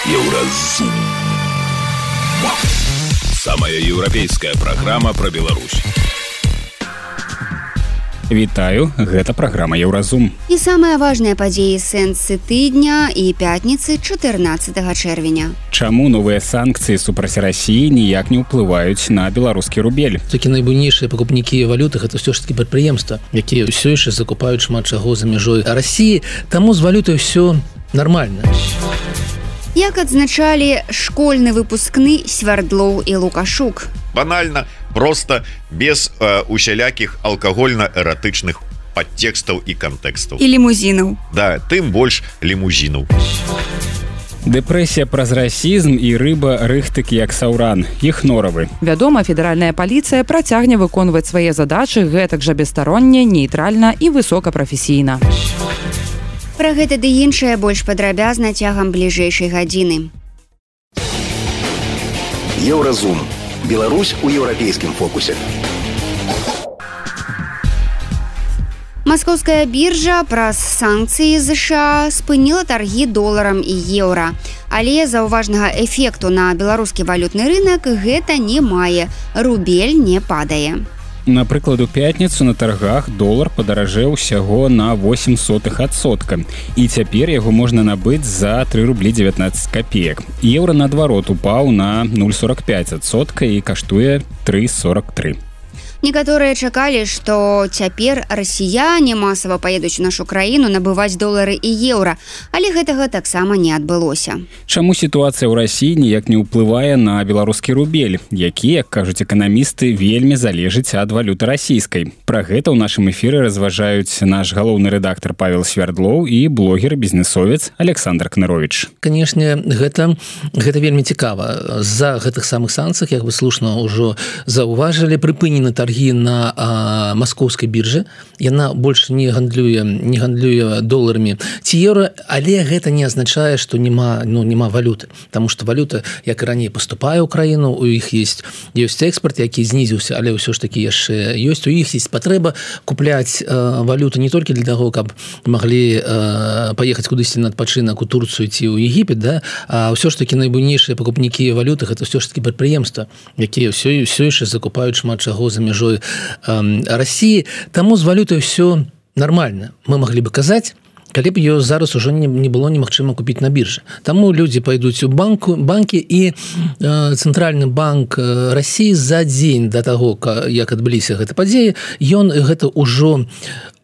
Еўразум. Самая еўрапейская праграма пра Беларусь. Вітаю, гэта праграма Еўразум. І самыя важныя падзеі сэнсы тыдня і пятніцы 14 чэрвеня. Чаму новыя санкцыі супраць Расіі ніяк не ўплываюць на беларускі рубель? Такі найбуйнейшыя пакупнікі валюты гэта ўсё ж такі прадпрыемства, якія ўсё яшчэ закупаюць шмат чаго за мяжой Расіі, таму з валютай ўсё нармальна. Як адзначалі школьны выпускны Свярдлоў і Лукашук. Банальна, просто без усялякіх алкагольна-эратычных падтэкстаў і кантэкстаў. І лімузінаў. Да, тым больш лімузінаў. Дэпрэсія праз расізм і рыба рыхтык як саўран. Іх норавы. Вядома, федэральная паліцыя працягне выконваць свае задачы гэтак жа бесстаронне, нейтральна і высокапрафесійна. Пра гэта ды іншае больш падрабязна цягам бліжэйшай гадзіны. Еўразум. Беларусь у еўрапейскім фокусе. Маскоўская біржа праз санкцыі США спыніла таргі доларам і еўра. Але заўважнага эфекту на беларускі валютны рынак гэта не мае. Рубель не падае. Напрыклад, у пятніцу на таргах долар падаражэў усяго на 0,08%. І цяпер яго можна набыць за 3 рублі 19 копеек. Еўра, наадварот, упаў на 0,45% і каштуе 3,43. Некаторыя чакалі, што цяпер расіяне масава паедуць у нашу краіну набываць долары і еўра, але гэтага таксама не адбылося. Чаму сітуацыя ў Расіі ніяк не ўплывае на беларускі рубель, які, як кажуць эканамісты, вельмі залежыць ад валюты расійскай? Пра гэта ў нашым эфіры разважаюць наш галоўны рэдактар Павел Свярдлоў і блогер-бізнесовец Александр Кныровіч. Канешне, гэта вельмі цікава. З-за гэтых самых санкцый, як вы слушна ўжо заўважылі, прыпынены таргі на маскоўскай біржы. Яна больш не гандлюе доларамі ці еўра, але гэта не азначае, што няма валюты. Таму што валюта, як і раней, паступае ў краіну, у іх ёсць экспарт, які знізіўся, але ўсё ж такі яшчэ ёсць. У іх ёсць патрэба купляць валюту не толькі для таго, каб маглі паехаць кудысьці на адпачынак у Турцыю ці ў Егіпет, да? А ўсё ж такі найбуйнейшыя пакупнікі валюты гэта ўсё ж такі прадпрыемства, якія ўсё яшчэ закупаюць шмат чаго за мяжой Расіі, таму з валютай ўсё нармальна. Мы маглі бы казаць, калі б ее зараз ужо не было немагчыма купіць на біржы. Таму людзі пайдуць у банкі і Цэнтральны банк Расіі за дзень да таго, як адбыліся гэта падзеі, ён гэта ўжо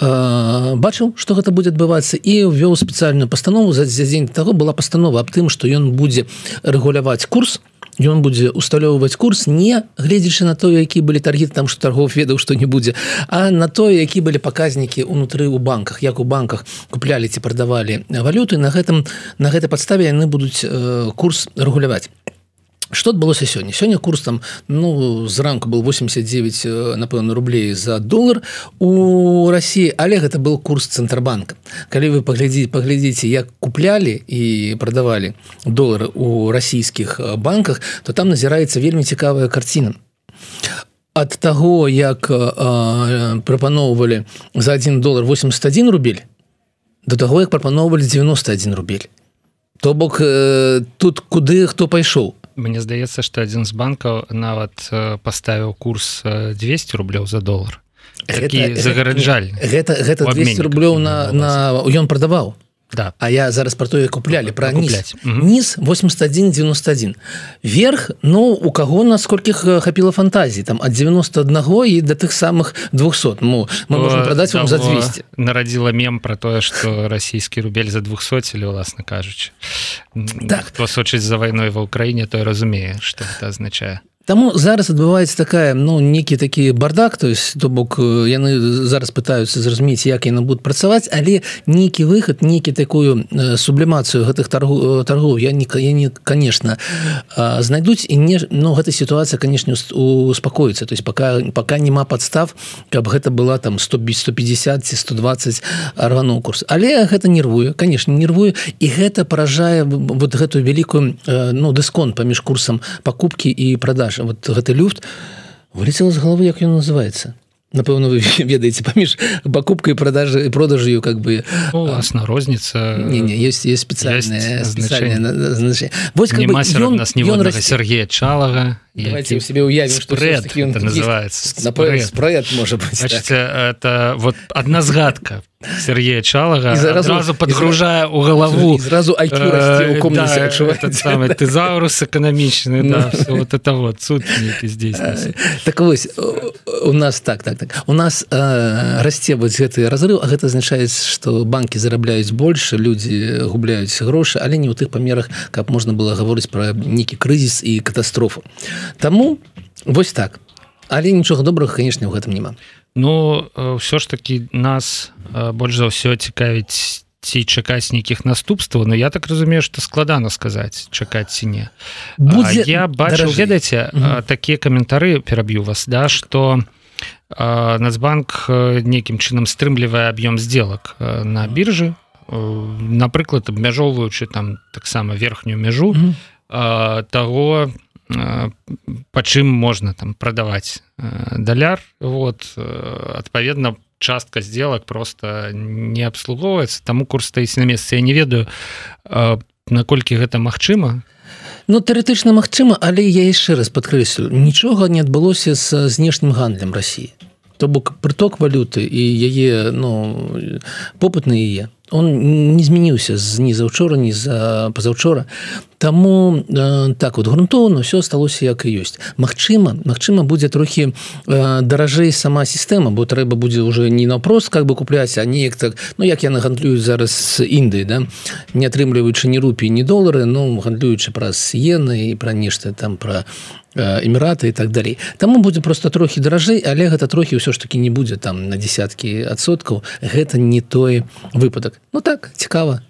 бачыў, што гэта будзе адбывацца, і ввёў спецыяльную пастанову. За дзень да таго была пастанова аб тым, што ён будзе рэгуляваць курс, ён будзе усталёўваць курс, не гледзячы на тое, які былі таргі, там што таргоў ведаў, што не будзе, а на тое, які былі паказнікі ўнутры ў банках, як у банках куплялі ці прадавалі валюты, на гэтай падставе яны будуць курс рэгуляваць. Што адбылося сёння? Сёння курс там, зранку был 89, напэўна, рублей за долар у Расіі, але гэта был курс Цэнтрбанка. Калі вы паглядзіце, як куплялі і прадавалі долары у расійскіх банках, то там назіраецца вельмі цікавая карціна. Ад таго, як прапаноўвалі за 1 долар 81 рубель, до таго, як прапаноўвалі 91 рубель. То бок, тут куды хто пайшоў? Мне здаецца, што адзін з банкаў нават паставіў курс 200 рублёў за долар. Такі загараджальны. Гэта 200 рублёў ён прадаваў. Да. А я зараз про тое купляли, про низ. Низ 81,91. Верх, у кого наскольких хапіла фантазии, там от 91 и до тых самых 200. Мы можем продать вам за 200. Нарадзіла мем про тое, что российский рубель за 200, или власна кажучи. Так. Хто сочыць за вайной ва Украине, той разумее, что это означае. Таму зараз адбываецца такая, некі такі бардак, то есть, то бок, яны зараз пытаюцца зразумець, як яны будуць працаваць, але нейкі выхад, нейкі такую сублімацыю гэтых торгоў яны, конечно, знайдуць, і гэта сітуацыя, конечно, успакоіцца, то есть, пока нема падстав, каб гэта была там 150 ці 120 рвануў курс. Але гэта нервуе, конечно, нервуе, і гэта паражае вот гэтую вялікую, дысконт паміж курсам пакупкі і продаж. Вот гэты люфт вылетел з головы, як ён называецца. напэўна вы ведаеце паміж пакупкай і продажаю как бы уласна розніца есть спецыяльнае значэнне няма сярод нас ніводнага Сергея Чалага давайте себе уявім спрэд это называется спрэд можа быць это вот одна згадка Сергея Чалага сразу подгружае у галаву сразу самый тезаурус эканамічны вот это вот суд здесь так вось у нас так у нас расце вось гэты разрыв а гэта азначае што банкі зарабляюць больш людзі губляюць грошы але не ў тых памерах каб можна было гаворыць пра нейкі крызіс і катастрофу таму вось так але нічога добрага конечно ў гэтым няма. Ну ўсё ж таки нас больш за ўсё цікавіць ці чакаць нейкіх наступстваў но я так разумею што складана сказаць чакаць ці не я бачу ведаеце такія каментары пераб'ю вас да што Нацбанк нейкім чынам стрымлівае аб'ём сделак на біржы напрыклад абмяжоўваючы там таксама верхнюю мяжу таго па чым можна там прадаваць даляр вот адпаведна частка сделак просто не абслугоўваецца таму курс стаіць на месцы я не ведаю наколькі гэта магчыма. Ну тэарэтычна магчыма але я яшчэ раз падкрэслю нічога не адбылося з знешнім гандлем России то бок прыток валюты і яе попыт на яе он не змяніўся ні заўчора ні за пазаўчора таму так вот грунтоўна все асталося як і ёсць Магчыма будзе трохі даражэй сама сістэма бо трэба будзе уже не наўпрост как бы купляць а неяк так як яны гандлююць зараз з Індыі да не атрымліваючы ні рупіі ні долары гандлюючы праз иены і пра нешта там пра Эміраты і так далей таму будзе просто трохі даражэй але гэта трохі ўсё ж таки не будзе там на десяткі адсоткаў гэта не той выпадак так цікава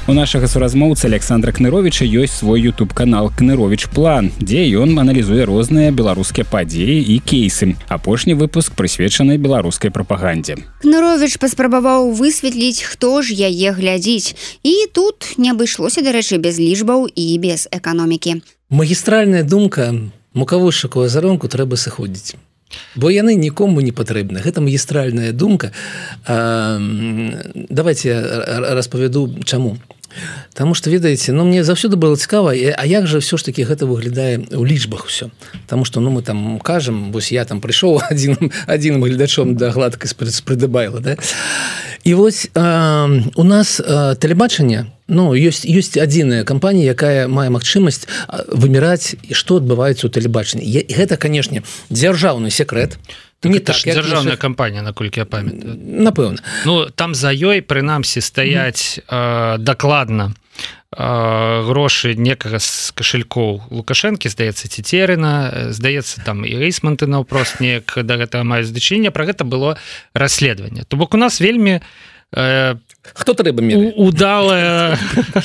У нашага суразмоўцы Александра Кныровіча ёсць свой YouTube-канал Кныровіч План, дзе ён аналізуе розныя беларускія падзеі і кейсы. Апошні выпуск прысвечаны беларускай прапагандзе. Кныровіч паспрабаваў высветліць, хто ж яе глядзіць. І тут не абышлося, дарэчы, без лічбаў і без эканомікі. Магістральная думка, мукавозчыку азаронку трэба сыходзіць. Бо яны нікому не патрэбны. Гэта магістральная думка. Давайте распавяду чаму. Таму што ведаеце, мне заўсёды было цікава, а як жа ўсё ж такі гэта выглядае ў лічбах усё. Таму што мы там кажам, вось я там прыйшоў адзіным гледачом да гладкай спрыдыбайла, да? І вось у нас тэлебачанне, ёсць адзіная кампанія, якая мае магчымасць выміраць, што адбываецца ў тэлебачанні. Гэта, канешне, дзяржаўны секрэт. Не так, дзяржаўная кампанія, наколькі я памятаю. Напэўна. Там за ёй, прынамсі, стаяць дакладна грошы некага з кашалькоў Лукашэнкі, здаецца, Цецерына, здаецца, там і Рэйсманты наўпрост неяк да гэтага маюць дачыненне, пра гэта было расследаванне. То бок у нас вельмі хто трэба меры? Удалая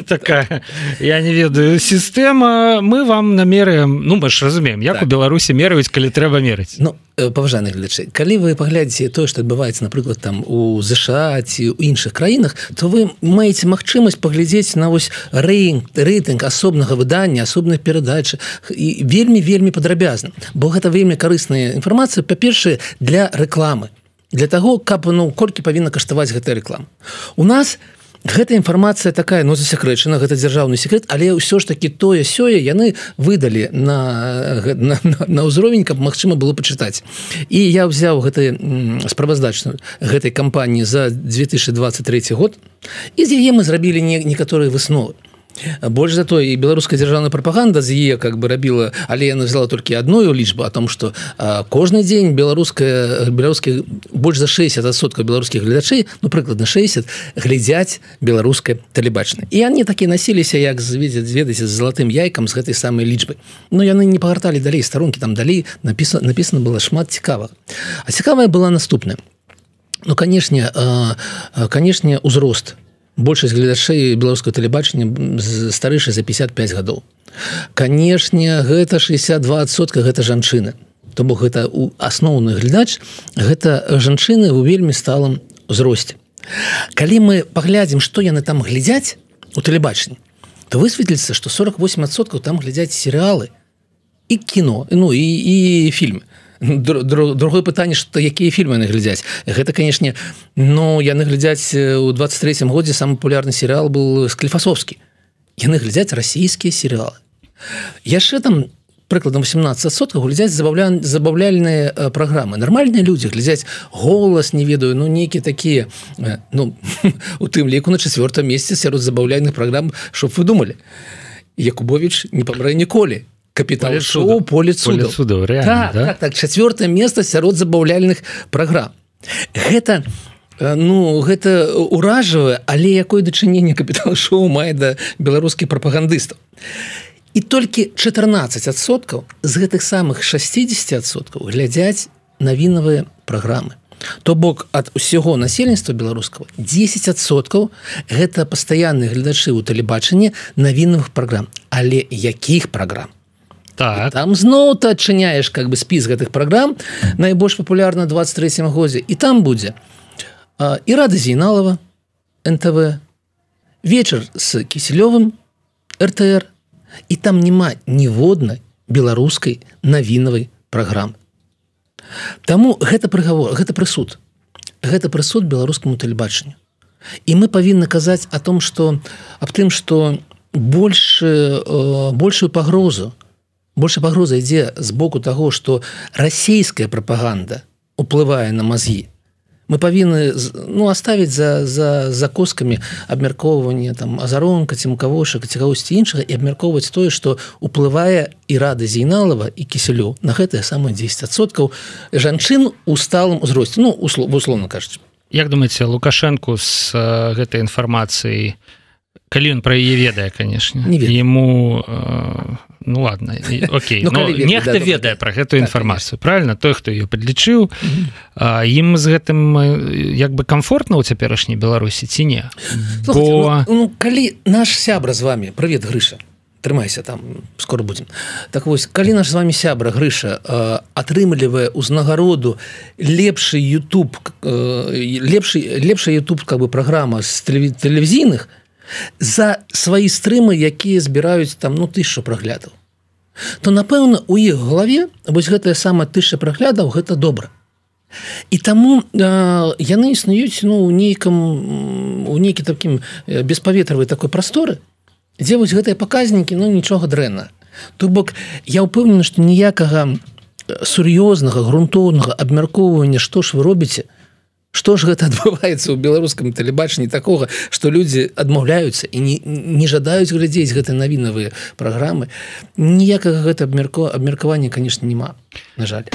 такая, я не ведаю, сістэма, мы вам намеряем, мы ж разумеем, як у Беларусі мераюць, калі трэба мерыць. Паважаны гледачы, калі вы паглядзіце тое, што адбываецца, напрыклад, там у ЗША ці ў іншых краінах, то вы маеце магчымасць паглядзець на вось рэйтынг асобнага выдання, асобных перадачы і вельмі падрабязна, бо гэта вельмі карысная інфармацыя, па-першае, для рэкламы. Для таго, каб колькі павінна каштаваць гэтая рэклама. У нас гэта інфармацыя такая, засекрэчана, гэта дзяржаўны секрэт, але ўсё ж такі тое-сёе яны выдалі на ўзровень, каб магчыма было пачытаць. І я ўзяў справаздачную гэтай кампаніі за 2023 год, і з яе мы зрабілі некаторыя высновы. Больш за тое, і беларуская дзяржаўная прапаганда з яе как бы рабіла, але яна взяла толькі адную лічбу о том, што кожны дзень беларускіх больш за 60% беларускіх гледачэй, прыкладна 60, глядзяць беларускае тэлебачанне. І яны такі насіліся, як ведаеце, з залатым яйкам з гэтай самай лічбай. Яны не пагарталі далей старонкі, там далей напісана было шмат цікавага. А цікавая была наступная. Канешне, узрост. Большасць гледачэй беларускага тэлебачання старэйшая за 55 гадоў. Канешне, гэта 62%, гэта жанчыны. То бок гэта асноўны глядач, гэта жанчыны ў вельмі сталым узросце. Калі мы паглядзім, што яны там глядзяць у тэлебачанні, то высветліцца, што 48% там глядзяць серыялы і кіно, і фільмы. другое пытанне, што якія фільмы яны глядзяць. Гэта, канешне, яны глядзяць у 23-м годзе самы папулярны серыял был Склифасовскі. Яны глядзяць расійскія серыялы. Яшчэ там прыкладам 18% глядзяць забаўляльныя праграмы. Нармальныя людзі глядзяць «Голас», не ведаю, нейкія такія, у тым ліку на 4-м месцы сярод забаўляльных праграм, чтоб вы думалі. Якубович не памрэ ніколі. Капітал шоу «Поле цудаў». Так, 4-е месца сярод забаўляльных праграм. Гэта ўражвае, але якое дачыненне капітал шоу мае да беларускіх прапагандыстаў. І толькі 14% з гэтых самых 60% глядзяць навінавыя праграмы. То бок ад усяго насельніцтва беларускага 10% гэта пастаянныя гледачы ў тэлебачанні навінавых праграм. Але якіх праграм? Так. Там зноў ты адчыняеш спіс гэтых праграм, найбольш папулярна 23-м годзе, і там будзе Ірада Зейналова, НТВ, вечар з Кісілёвым, РТР, і там няма ніводнай беларускай навінавай праграмы. Таму гэта прыгавор, гэта прысуд. Гэта прысуд беларускаму тэлебачанню. І мы павінны казаць аб тым, што большая пагроза ідзе з боку таго, што расійская прапаганда уплывае на мазгі. Мы павінны аставіць за коскамі абмяркоўванне Азаронка, Цімкавошак, ці кагосьці іншага і абмяркоўваць тое, што уплывае Ірада Зейналова і Кісілёў на гэтыя самыя 10% жанчын у сталым узросце, условно кажучы. Як думаеце, Лукашэнку з гэтай інфармацыяй, калі ён пра яе ведае, канешне, яму ладно, окей, нехта ведае пра гэтую інфармацыю, правильно? Той, хто ее падлічыў, ім з гэтым комфортна ў цяперашняй Беларусі ці не? Калі наш сябра з вами, привет, Грыша, трымайся, там скоро будем. Так вось, калі наш з вами сябра Грыша атрымлівае ўзнагароду лепшая YouTube праграма з тэлевізійных за свае стрымы, якія збіраюць 1000 праглядаў, то, напэўна, у іх галаве вось гэтая самая 1000 праглядаў гэта добра. І таму яны існуюць у нейкім такім беспаветравай такой прасторы, дзе вось гэтыя паказнікі нічога дрэнна. То бок я ўпэўнены, што ніякага сур'ёзнага, грунтоўнага абмяркоўвання, што ж вы робіце, што ж гэта адбываецца ў беларускам тэлебачанні такога, што людзі адмаўляюцца і не жадаюць глядзець гэтыя навінавыя праграмы. Ніякага гэта абмеркавання, канешне, няма, на жаль.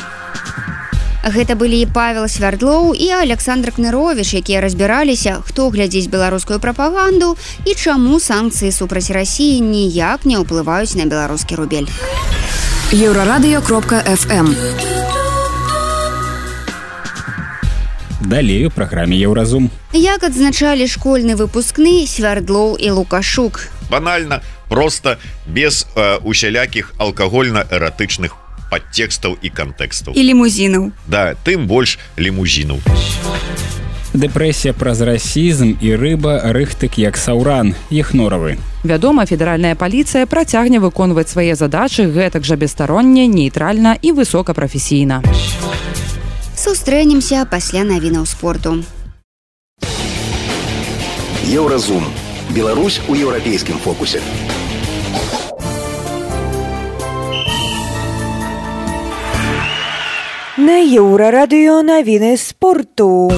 Гэта былі Павел Свярдлоў і Александр Кныровіч, якія разбіраліся, хто глядзіць беларускую прапаганду і чаму санкцыі супраць Расіі ніяк не ўплываюць на беларускі рубель. Еўрарадыё.фм. Далей у праграме «Еўразум». Як адзначалі школьны выпускны Свярдлоў і Лукашук. Банальна, проста, без усялякіх алкагольна-эратычных падтекстаў і кантэкстаў. І лімузінаў. Да, тым больш лімузінаў. Дэпрэсія праз расізм і рыба рыхтык як саўран, Ехноравы. Вядома, федэральная паліцыя працягне выконваць свае задачы гэтак жа бесстаронне, нейтральна і высокапрафесійна. Сустрэнемся пасля навінаў спорту. Еўразум. Беларусь у еўрапейскім фокусе. На Еўрарадыё навіны спорту.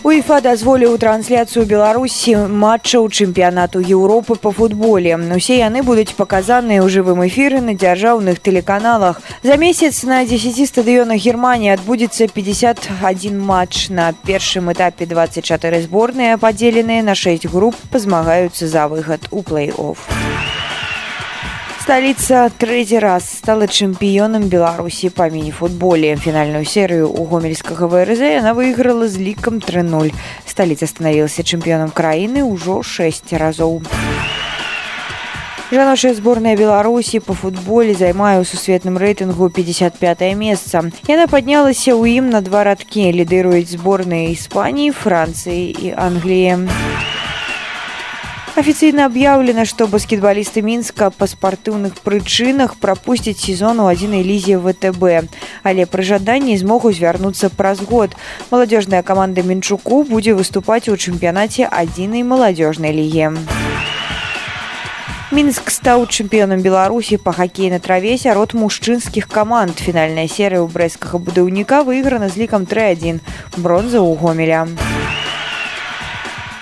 УЕФА дазволіў трансляцыю Беларусі матчаў чэмпіянату Еўропы па футболе. Усе яны будуць паказаныя ў жывым эфіры на дзяржаўных тэлеканалах. За месяц на 10 стадыёнах Германіі адбудзецца 51 матч. На першым этапе 24 зборныя, падзеленыя на 6 груп, пазмагаюцца за выхад у плэй-офф. Столица третий раз стала чемпионом Беларуси по мини-футболе. Финальную серию у гомельского ВРЗ она выиграла с ликом 3-0. Столица становилась чемпионом краины уже 6 разов. Жаночая сборная Беларуси по футболе займае ў сусветным рэйтынгу 55-е месца. Яна паднялася ў ім на 2 радкі. Лідыруюць зборныя Іспаніі, Францыі і Англіі. Афіцыйна аб'яўлена, што баскетбалісты Мінска па спартыўных прычынах прапусцяць сезон у 1-й лізе ВТБ, але пры жаданні змогуць вярнуцца праз год. Маладзёжная каманда Мінчуку будзе выступаць у чэмпіянаце 1-й маладзёжнай лігі. Мінск стаў чэмпіёнам Беларусі па хакеі на траве сярод мужчынскіх каманд. Фінальная серыя ў брэсцкага будаўніка выйграна з лікам 3-1. Бронза ў Гомеля.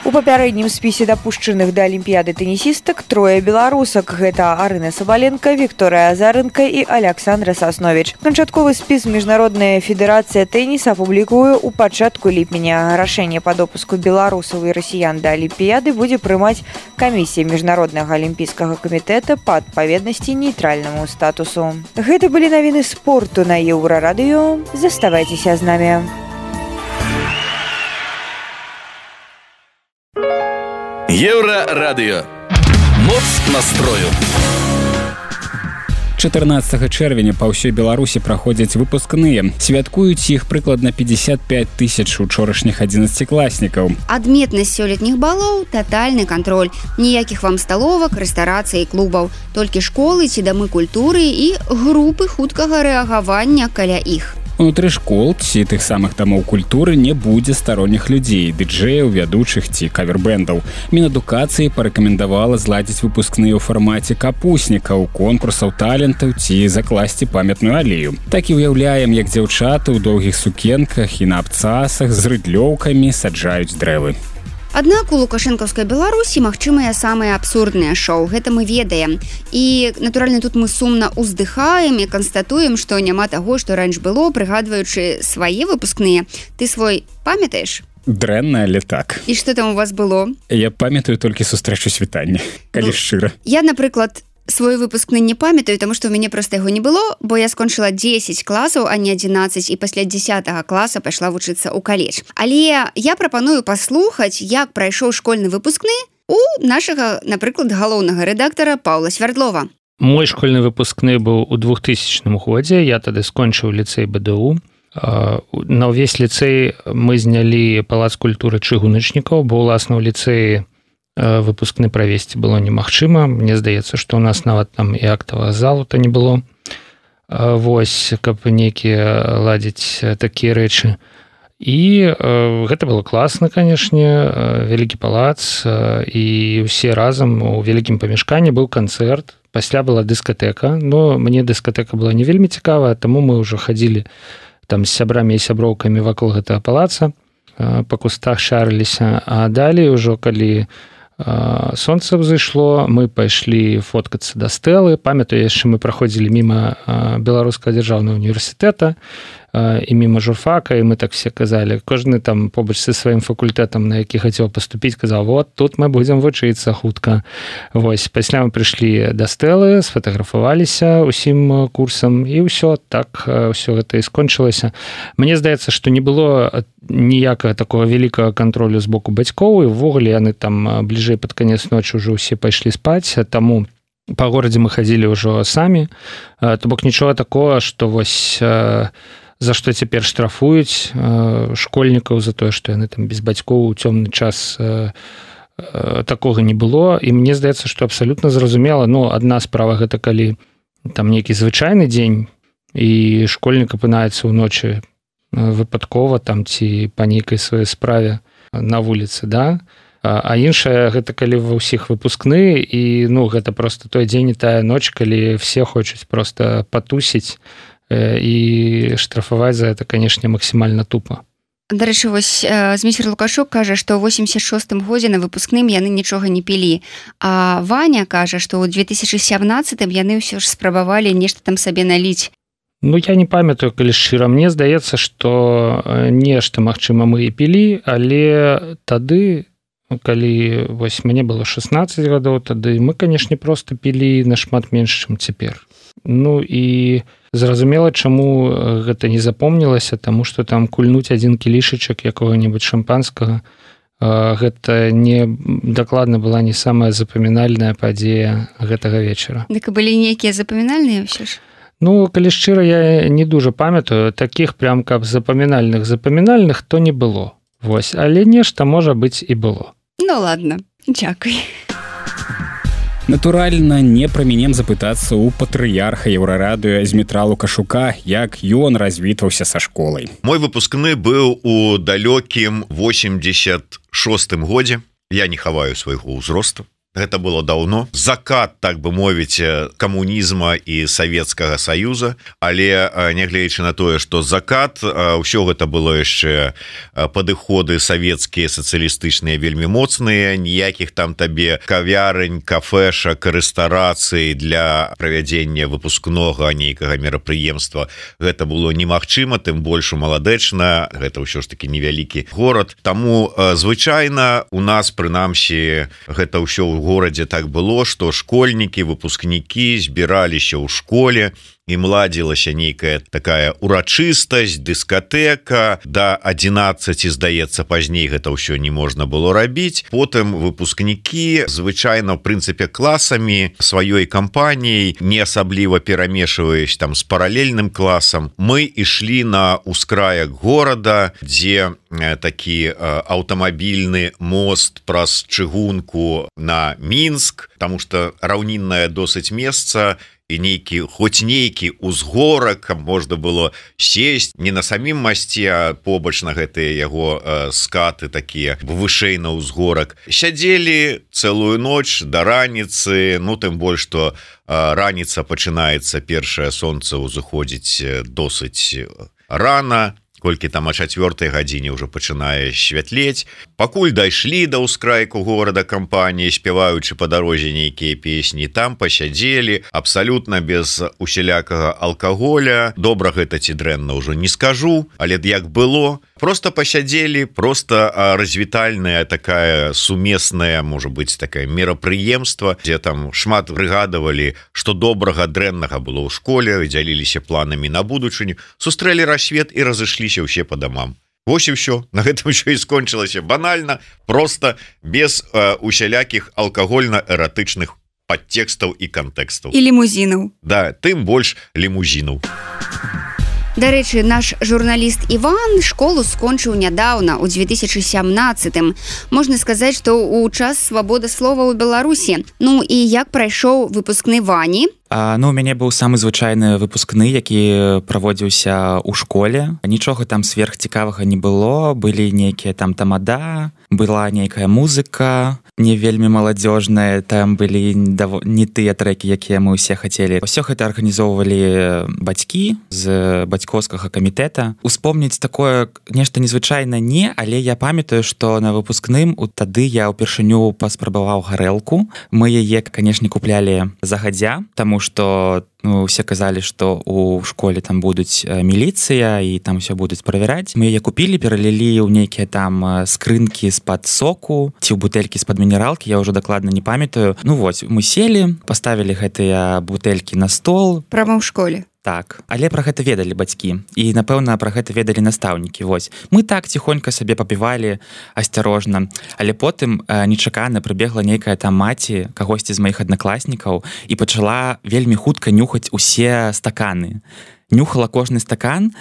У папярэднім спісе дапушчаных да алімпіяды тэнісістак трое беларусак. Гэта Арына Сабаленко, Вікторыя Азаренко і Аляксандра Сасновіч. Канчатковы спіс Міжнародная федэрацыя тэніса апублікуе ў пачатку ліпеня. Рашэнне па допуску беларусаў і расіян да алімпіяды будзе прымаць камісія Міжнароднага алімпійскага камітэта па адпаведнасці нейтральнаму статусу. Гэта былі навіны спорту на Еўрарадыё. Заставайцеся з намі. Еўрарадыё. Моц настрою. 14 чэрвеня па ўсёй Беларусі праходзяць выпускныя. Святкуюць іх прыкладна 55 тысяч учорашніх 11-класнікаў. Адметнасць сёлетніх балоў – татальны кантроль. Ніякіх вам сталовак, рэстарацый і клубаў. Толькі школы ці дамы культуры і групы хуткага рэагавання каля іх. Унутры школ ці тых самых дамоў культуры не будзе старонніх людзей, дыджэяў, вядучых ці кавербэндаў. Мінадукацыі парэкамендавала зладзіць выпускныя ў фармаце капуснікаў, конкурсаў талентаў ці закласці памятную алею. Так і ўяўляем, як дзяўчаты ў доўгіх сукенках і на абцасах з рыдлёўкамі саджаюць дрэвы. Аднак у лукашэнкаўскай Беларусі магчымыя самыя абсурдныя шоу. Гэта мы ведаем. І, натуральна, тут мы сумна ўздыхаем і канстатуем, што няма таго, што раньш было, прыгадваючы свае выпускныя. Ты свой памятаеш? Дрэнна, але так. І што там у вас было? Я памятаю толькі сустрэчу світання, калі шчыра. Я, напрыклад, свой выпускны не памятаю, таму што ў мяне проста яго не было, бо я скончыла 10 класаў, а не 11, і пасля 10 класа пайшла вучыцца ў каледж. Але я прапаную паслухаць, як прайшоў школьны выпускны у нашага, напрыклад, галоўнага рэдактара Паўла Свярдлова. Мой школьны выпускны быў у 2000 годзе, я тады скончыў ліцэй БДУ. На ўвесь ліцэй мы знялі палац культуры чыгуначнікаў, бо ўласна ў ліцэі выпускны правесці было немагчыма. Мне здаецца, што ў нас нават там і актавага залу-то не было. Вось, каб нейкія ладзіць такія рэчы. І гэта было класна, канешне, вялікі палац, і ўсе разам у вялікім памяшканні быў канцэрт. Пасля была дыскатэка, но мне дыскатэка была не вельмі цікавая, таму мы ўжо хадзілі там з сябрамі і сяброўкамі вакол гэтага палаца, па кустах шарыліся, а далей ужо, калі сонца ўзышло, мы пайшлі фоткацца да стэлы. Памятаю, яшчэ мы праходзілі міма Беларускага дзяржаўнага універсітэта і міма журфака, і мы так все казалі. Кожны там побач са сваім факультэтам, на які хацеў паступіць, казаў: вот, тут мы будзем вучыцца хутка. Вось, пасля мы прыйшлі да стэлы, сфотаграфаваліся ўсім курсам, і ўсё, так ўсё гэта і скончылася. Мне здаецца, што не было ніякага такого вялікага кантролю з боку бацькоў, і ўвогуле яны там бліжэй пад канец ночы ўжо ўсе пайшлі спаць, таму па горадзе мы хадзілі ўжо самі. То бок нічога такого, што вось за што цяпер штрафуюць школьнікаў за тое, што яны там без бацькоў у цёмны час, такога не было. І мне здаецца, што абсалютна зразумела. Ну, адна справа гэта калі там нейкі звычайны дзень і школьнік апынаецца ўночы выпадкова там ці па нейкай сваёй справе на вуліцы, да? А іншая гэта калі ва ўсіх выпускны, і ну гэта просто той дзень і тая ноч, калі все хочуць просто патусіць, і штрафаваць за это, канешне, максімальна тупа. Дарэчы, вось Зміцер Лукашук кажа, што ў 86-м годзе на выпускным яны нічога не пілі. А Ваня кажа, што ў 2017-м яны ўсё ж спрабавалі нешта там сабе наліць. Ну, я не памятаю, калі шчыра. Мне здаецца, што нешта, магчыма, мы і пілі, але тады, калі вось мне было 16 гадоў, тады мы, канешне, проста пілі нашмат менш, чым цяпер. Ну і зразумела, чаму гэта не запомнілася, таму што там кульнуць адзін кілішачак якога-небудзь шампанскага, гэта не дакладна была не самая запамінальная падзея гэтага вечара. Дык былі нейкія запамінальныя ўсё ж? Ну, калі шчыра, я не дужа памятаю, такіх прям каб запамінальных то не было. Вось, але нешта, можа быць, і было. Ну ладно, дзякуй. Натуральна, не прамінем запытацца ў патрыярха Еўрарадыё Змітра Лукашука, як ён развітваўся са школай. Мой выпускны быў у далёкім 86-м годзе. Я не хаваю свайго ўзросту. Гэта было даўно. Закат, так бы мовіць, камунізма і Савецкага Саюза, але нягледзячы на тое, што закат, ўсё гэта было яшчэ падыходы савецкія, сацыялістычныя вельмі моцныя, ніякіх там табе кавярынь, кафешак, рэстарацый для правядзення выпускнога нейкага мерапрыемства. Гэта было немагчыма, тым больш у Маладэчна, гэта ўсё ж такі невялікі горад. Таму звычайна у нас, прынамсі, гэта ўсё ў горадзе так было, што школьнікі, выпускнікі збіраліся ў школе, ім ладзілася нейкая такая урачыстасць, дыскатэка, да 11, здаецца, пазней гэта ўсё не можна было рабіць. Потым выпускнікі звычайна, в прынцыпе, класамі сваёй кампаніяй, не асабліва перамешваюць там з паралельным класам, мы ішлі на ўскраек горада, дзе такі аўтамабільны мост праз чыгунку на Мінск, таму што раўніннае досыць месца, і нейкі, хоць нейкі узгорак, каб можна было сесть не на самім масце, а побач на гэтыя яго скаты такія вышэй на ўзгорак. Сядзелі цэлую ноч да раніцы, ну тым больш, што раніца пачынаецца, першае сонца ўзыходзіць досыць рана, колькі там о 4 гадзіне ўжо пачынае святлець. Пакуль дайшлі да ўскрайку горада кампаніі, спяваючы па дарозе нейкія песні, там пасядзелі, абсалютна без усялякага алкаголя. Добра гэта ці дрэнна ўжо не скажу, але як было, просто пасядзелі, просто развітальная такая сумесная, можа быць, такая мерапрыемства, дзе там шмат прыгадавалі, што добрага, дрэннага было ў школе, дзяліліся планамі на будучыню, сустрэлі рассвет і разышліся ўсе па дамам. Вось і ўсё. На гэтым ўсё і скончылася банальна, просто без усялякіх алкагольна-эратычных падтэкстаў і кантэкстаў. І лімузінаў. Да, тым больш лімузінаў. Дарэчы, наш журналіст Іван школу скончыў нядаўна, у 2017-м. Можна сказаць, што ў час свабоды слова ў Беларусі. Ну і як прайшоў выпускны Вані? Ну, у мяне быў самы звычайны выпускны, які праводзіўся ў школе. Нічога там сверхцікавага не было, былі нейкія там тамада, была нейкая музыка, не вельмі маладзёжная, там былі не тыя трэкі, якія мы ўсе хацелі. Усё гэта арганізоўвалі бацькі з бацькоўскага камітэта. Успомніць такое нешта незвычайна не, але я памятаю, што на выпускным тады я ўпершыню паспрабаваў гарэлку. Мы яе, канешне, куплялі загадзя, таму што усе казалі, што у школе там будуць міліцыя і там все будуць правяраць. Мы яе купілі, пералілі ў нейкія там скрынкі з-пад соку ці ў бутэлькі з-пад мінералкі, я ўжо дакладна не памятаю. Ну вось, мы селі, паставілі гэтыя бутэлькі на стол. Прама ў школе. Так, але пра гэта ведалі бацькі і, напэўна, пра гэта ведалі настаўнікі. Вось. Мы так ціхонька сабе папівалі асцярожна, але потым нечакана прыбегла нейкая там маці кагосьці з маіх аднакласнікаў і пачала вельмі хутка нюхаць усе стаканы. Нюхала кожны стакан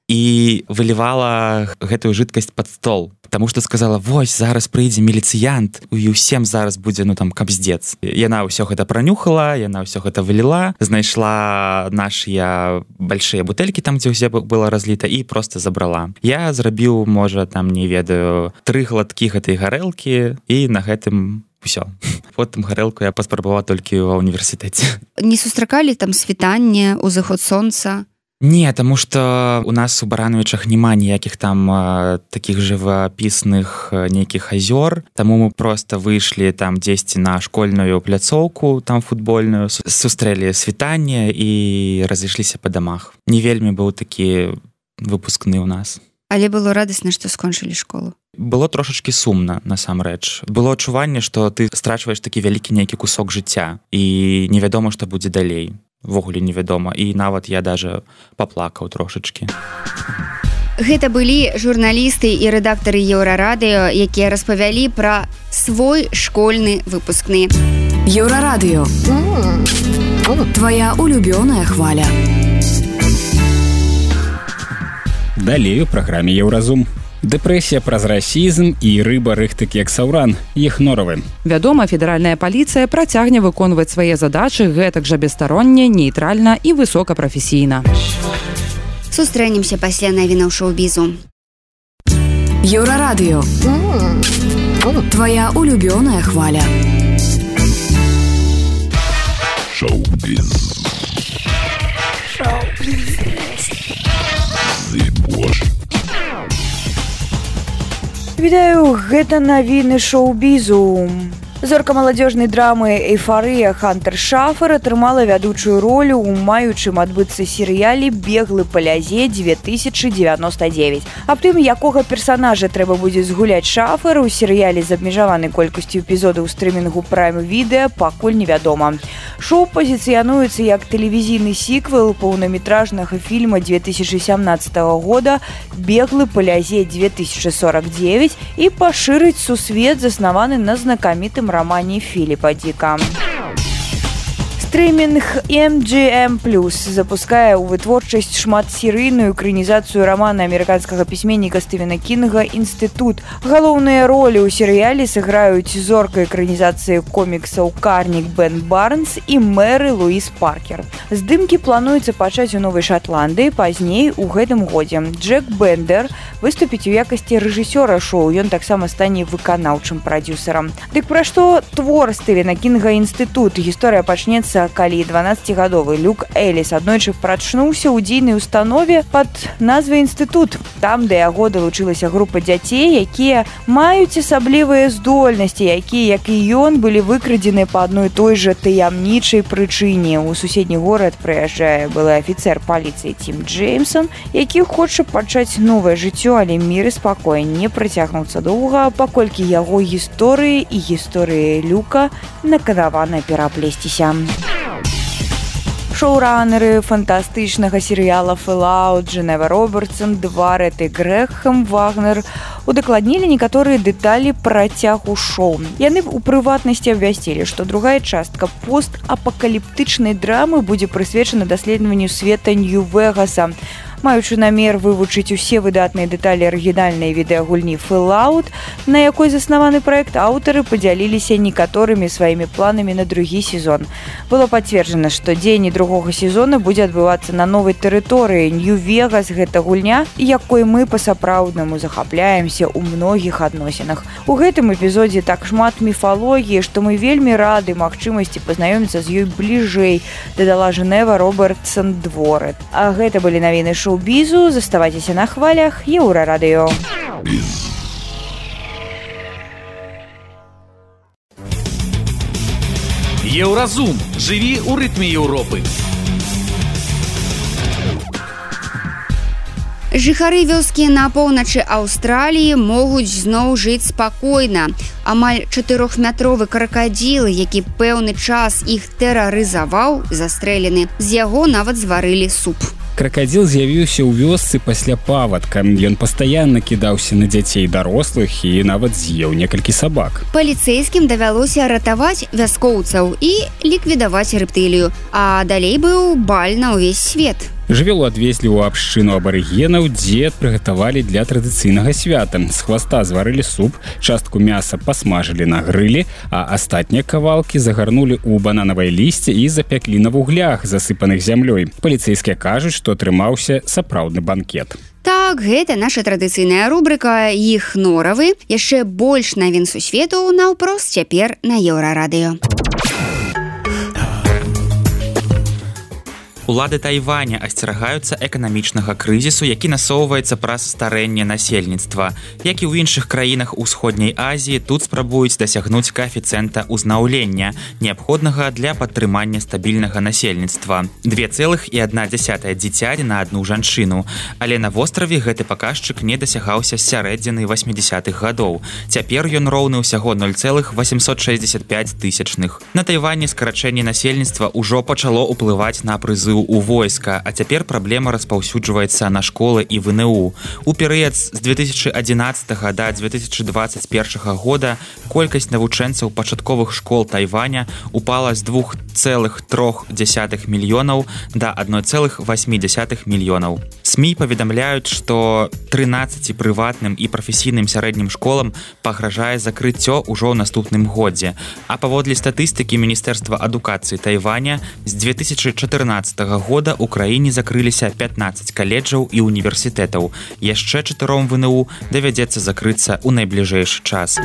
і вылівала гэтую жидкасць пад стол. Таму што сказала, вось, зараз прыйдзе міліцыянт, і ўсім зараз будзе, ну, там, капздец. Яна ўсё гэта пранюхала, яна ўсё гэта выліла, знайшла нашыя большія бутэлькі там, дзе ўсе было разліта, і проста забрала. Я зрабіў, можа, там, не ведаю, 3 глаткі гэтай гарэлкі, і на гэтым ўсё. Потым гарэлку я паспрабаваў толькі ва ўніверсітэце. Не сустракалі там світанне, узыход сонца? Не, таму што у нас у Барановічах няма ніякіх там такіх жывапісных нейкіх азёр, таму мы проста выйшлі там дзесьці на школьную пляцоўку, там футбольную, сустрэлі світанне і разышліся па дамах. Не вельмі быў такі выпускны ў нас. Але было радасна, што скончылі школу. Было трошачкі сумна, насамрэч. Было адчуванне, што ты страчваеш такі вялікі нейкі кусок жыцця і невядома, што будзе далей. Ввогуле невядома, і нават я даже паплакаў трошачкі. Гэта былі журналісты і рэдактары Еўрарадыё, якія распавялі пра свой школьны выпускны. Еўрарадыё. Твоя улюбёная хваля. Далей у праграме Еўразум. Дэпрэсія праз расізм і рыба рыхты кексаўран. Іх норавы. Вядома, федэральная паліцыя працягне выконваць свае задачы гэтак жа бесстаронне, нейтральна і высокапрафесійна. Сустрэнемся пасля навінаў шоу-бізу. Еўрарадыё. Твоя улюбёная хваля. Шоу-біз. Вітаю, гэта навіны шоу-бізу. Зорка маладзёжнай драмы «Эйфарыя» Хантер Шафер атрымала вядучую ролю ў маючым адбыцца серыяле «Беглы па лязе 2099». Аб тым, якога персанажа трэба будзе згуляць Шафер у серыяле з абмежаванай колькасцю эпізодаў стрымінгу Prime Video пакуль невядома. Шоу пазіцыянуецца як тэлевізійны сіквел паўнаметражнага фільма 2017 года «Беглы па лязе 2049» і пашырыць сусвет, заснаваны на знакамітым романе Філіпа Діка. Стрымінг MGM+ запускае ў вытворчасць шматсерыйную экранізацыю рамана амерыканскага пісьменніка Стывена Кінга «Інстытут». Галоўныя ролі ў серыяле сыграюць зорка экранізацыі коміксаў Карнік Бен Барнс і Мэры Луіс Паркер. Здымкі плануецца пачаць у Новай Шатландыі пазней у гэтым годзе. Джек Бендер выступіць у якасці рэжысёра шоу, ён таксама стане выканаўчым прадзюсарам. Дык пра што твор Стывена Кінга «Інстытут»? Гісторыя пачнецца, калі 12-гадовы Люк Эліс аднойчы прачнуўся ў дзейнай установе пад назвай «Інстытут». Там да яго далучылася група дзяцей, якія маюць асаблівыя здольнасці, якія, як і ён, былі выкрадзены па адной той жа таямнічай прычыне. У суседні горад прыязджае былы афіцэр паліцыі Тім Джеймсон, які хоча пачаць новае жыццё, але мір і спакой не працягнуцца доўга, паколькі яго гісторыі і гісторыі Люка наканавана пераплесціся. Шоуранеры фантастычнага серыяла «Fallout» Дженева Робертсон, Дварет і Грэхэм Вагнер удакладнілі некаторыя дэталі працягу шоу. Яны у прыватнасці абвясцілі, што другая частка постапакаліптычнай драмы будзе прысвечана даследаванню света Нью-Вегаса. Маючы намер вывучыць усе выдатныя дэталі арыгінальнай відэагульні Fallout, на якой заснаваны праект, аўтары падзяліліся некаторымі сваімі планамі на другі сезон. Было пацверджана, што дзеянне другога сезона будзе адбывацца на новай тэрыторыі. Нью-Вегас — гэта гульня, якой мы па-сапраўднаму захапляемся ў многіх адносінах. У гэтым эпізодзе так шмат міфалогіі, што мы вельмі рады магчымасці пазнаёміцца з ёй бліжэй, дадала Дженева Робертсон Дворет. А гэта былі навіны шоу-бізу. Заставайцеся на хвалях Еўрарадыё. Еўразум. Жыві ў рытме Еўропы. Жыхары вёскі на поўначы Аўстраліі могуць зноў жыць спакойна. Амаль 4-метровы кракадзіл, які пэўны час іх тэрарызаваў, застрэлены. З яго нават зварылі суп. Кракадзіл з'явіўся ў вёсцы пасля павадка. Ён пастаянна кідаўся на дзяцей дарослых і нават з'еў некалькі сабак. Паліцэйскім давялося ратаваць вяскоўцаў і ліквідаваць рэптылію, а далей быў баль на ўвесь свет. Жывёлу адвезлі ў абшчыну абарыгенаў, дзе прыгатавалі для традыцыйнага свята. З хваста зварылі суп, частку мяса пасмажылі на грылі, а астатнія кавалкі загарнулі ў бананавае лісце і запяклі на вуглях, засыпаных зямлёй. Паліцэйскія кажуць, што атрымаўся сапраўдны банкет. Так, гэта наша традыцыйная рубрыка «Іх норавы». Яшчэ больш навін сусвету наўпрост цяпер на Еўрарадыё. Улады Тайваня асцерагаюцца эканамічнага крызісу, які насоўваецца праз старэнне насельніцтва. Як і ў іншых краінах Усходняй Азіі, тут спрабуюць дасягнуць каэфіцыента ўзнаўлення, неабходнага для падтрымання стабільнага насельніцтва. 2,1 дзіцяці на адну жанчыну. Але на востраве гэты паказчык не дасягаўся з сярэдзіны 80-х гадоў. Цяпер ён роўны ўсяго 0,865. На Тайвані скарачэнне насельніцтва ўжо пачало ўплываць на прызыў прызыў у войска, а цяпер праблема распаўсюджваецца на школы і ВНУ. У перыяд з 2011 да 2021 года колькасць навучэнцаў пачатковых школ Тайваня упала з 2,3 мільёнаў да 1,8 мільёнаў. СМІ паведамляюць, што 13 прыватным і прафесійным сярэднім школам пагражае закрыццё ўжо ў наступным годзе. А паводле статыстыкі Міністэрства адукацыі Тайваня з 2014 года ў краіне закрыліся 15 каледжаў і універсітэтаў. Яшчэ 4 ВНУ давядзецца закрыцца ў найбліжэйшы час.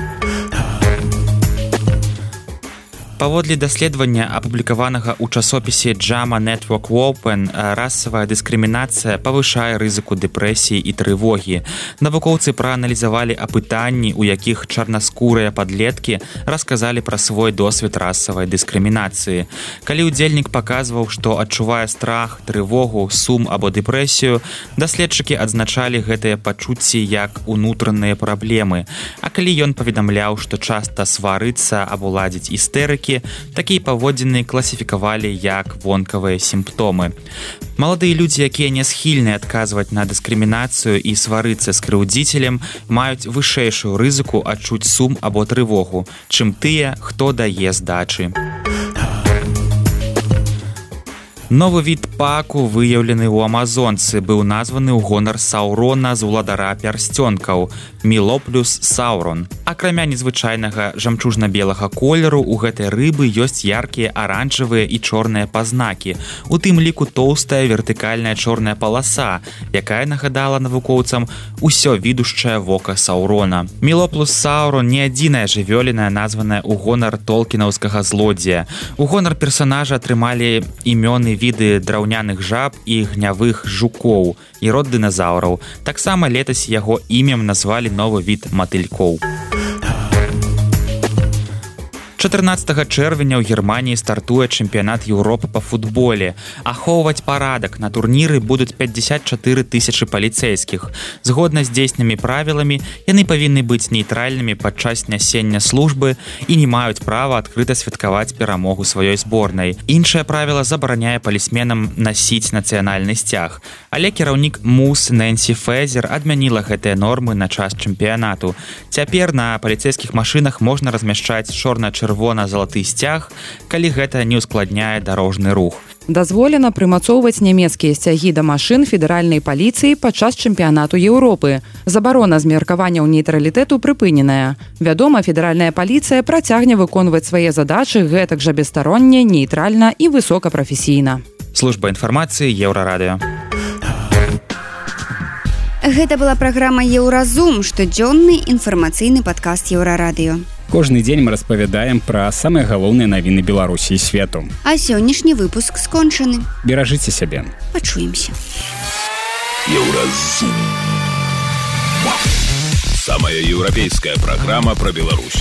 Паводле даследавання, апублікаванага ў часопісе JAMA Network Open, расавая дыскрымінацыя павышае рызыку дэпрэсіі і трывогі. Навукоўцы прааналізавалі апытанні, у якіх чарнаскурыя падлеткі расказалі пра свой досвед расавай дыскрымінацыі. Калі ўдзельнік паказваў, што адчувае страх, трывогу, сум або дэпрэсію, даследчыкі адзначалі гэтыя пачуцці як унутраныя праблемы. А калі ён паведамляў, што часта сварыцца або ладзіць істэрыкі, такія паводзіны класіфікавалі як вонкавыя сімптомы. Маладыя людзі, якія не схільныя адказваць на дыскрымінацыю і сварыцца з крыўдзіцелем, маюць вышэйшую рызыку адчуць сум або трывогу, чым тыя, хто дае здачы. Новы від паку, выяўлены ў Амазонцы, быў названы ў гонар Саурона з уладара пярсцёнкаў Мілоплюс Саурон. Акрамя незвычайнага жамчужна-белага колеру, у гэтай рыбы ёсць яркія аранжавыя і чорныя пазнакі. У тым ліку тоўстая вертыкальная чорная паласа, якая нагадала навукоўцам усё відушчае вока Саурона. Мілоплюс Саурон не адзіная жывёліна, названая ў гонар толкінаўскага злодзея. У гонар персанажа атрымалі імёны віды драўняных жаб і гнявых жукоў і род дыназаўраў. Таксама летась яго імем назвалі новы від матылькоў. 14 чэрвеня ў Германіі стартуе чэмпіянат Еўропы па футболе. Ахоўваць парадак на турніры будуць 54 тысячы паліцэйскіх. Згодна з дзейснымі правіламі, яны павінны быць нейтральнымі падчас нясення службы і не маюць права адкрыта святкаваць перамогу сваёй зборнай. Іншае правіла забараняе палісменам насіць нацыянальны сцяг. Але кіраўнік МУС Нэнсі Фэзер адмяніла гэтыя нормы на час чэмпіянату. Цяпер на паліцэйскіх машынах можна размяшчаць чорна-чырвона-залаты сцяг, калі гэта не ўскладняе дарожны рух. Дазволена прымацоўваць нямецкія сцягі да машын федэральнай паліцыі падчас чэмпіянату Еўропы. Забарона змеркаванняў нейтралітэту прыпыненая. Вядома, федэральная паліцыя працягне выконваць свае задачы гэтак жа бесстаронне, нейтральна і высокапрафесійна. Служба інфармацыі Еўрарадыё. Гэта была праграма «Еўразум», штодзённы інфармацыйны падкаст Еўрарадыё. Кожны дзень мы распавядаем пра самыя галоўныя навіны Беларусі і свету. А сённяшні выпуск скончаны. Беражыце сябе. Пачуемся. Еўразум. Самая еўрапейская праграма пра Беларусь.